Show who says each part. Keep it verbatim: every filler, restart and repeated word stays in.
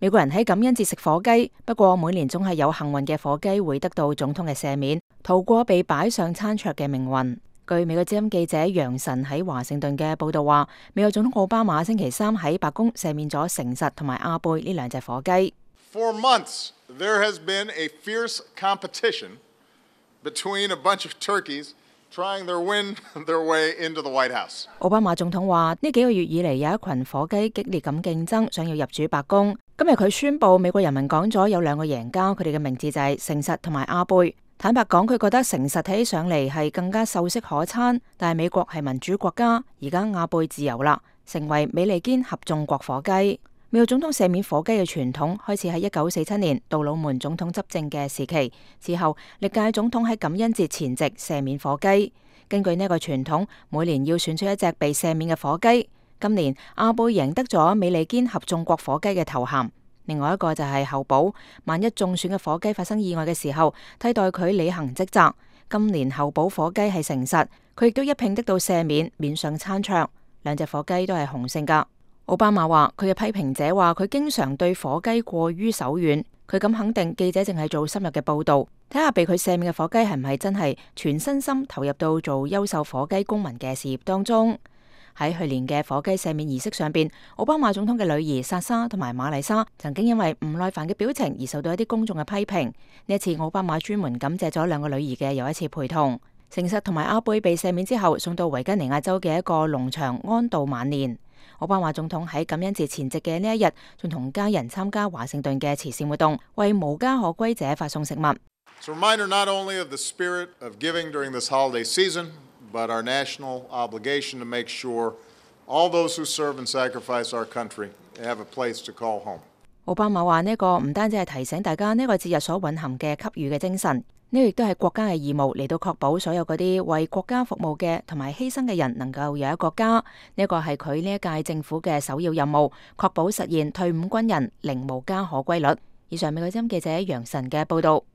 Speaker 1: 美國人喺感恩節食火雞，不過每年總係有幸運嘅火雞會得到總統嘅赦免，逃過被擺上餐桌嘅命運。據美國之音記者楊晨喺華盛頓嘅報道話，美國總統奧巴馬星期三喺白宮赦免咗誠實同埋阿貝呢兩隻火雞。
Speaker 2: For months, there has been a fierce competition between a bunch of turkeys trying to win their way into the White House.
Speaker 1: 奧巴馬總統話：呢幾個月以嚟有一群火雞激烈咁競爭，想要入主白宮。今日佢宣布美國人民講咗有兩個贏家，佢哋嘅名字就係誠實同埋阿貝。坦白講，佢覺得誠實睇起上嚟係更加秀色可餐，但係美國係民主國家，而家阿貝自由啦，成為美利堅合眾國火雞。美國總統赦免火雞嘅傳統開始喺一九四七年杜魯門總統執政嘅時期，之後歷屆總統喺感恩節前夕赦免火雞。根據呢個傳統，每年要選出一隻被赦免嘅火雞。今年阿貝贏得咗美利堅合眾國火雞嘅頭銜。另外一個就係候補，萬一中選嘅火雞發生意外嘅時候，替代佢履行職責。今年候補火雞係誠實，佢亦都一併得到赦免，免上餐桌。兩隻火雞都係雄性噶。奧巴馬話佢嘅批評者話佢經常對火雞過於手軟，佢咁肯定記者淨係做深入嘅報道，睇下被佢赦免嘅火雞係唔係真係全身心投入到做優秀火雞公民嘅事業當中。喺去年嘅火雞赦免儀式上邊，奧巴馬總統嘅女兒莎莎同埋瑪麗莎曾經因為唔耐煩嘅表情而受到一啲公眾嘅批評。呢一次奧巴馬專門感謝咗兩個女兒嘅又一次陪同。誠實同埋阿貝被赦免之後，送到維吉尼亞州嘅一個農場安度晚年。奧巴馬總統喺感恩節前夕嘅呢一日，仲同家人參加華盛頓嘅慈善活動，為無家可歸者發送食物。
Speaker 2: It's a reminder not only of the spirit of giving during this holiday season, but our national obligation to make sure all those who serve and sacrifice our country have a place to call home.
Speaker 1: 奧巴馬話呢個唔單止係提醒大家呢個節日所蘊含嘅給予嘅精神，呢個亦都係國家嘅義務嚟到確保所有嗰啲為國家服務嘅同埋犧牲嘅人能夠有一個家。呢個係佢呢一屆政府嘅首要任務，確保實現退伍軍人零無家可歸率。以上美國之音記者楊晨嘅報道。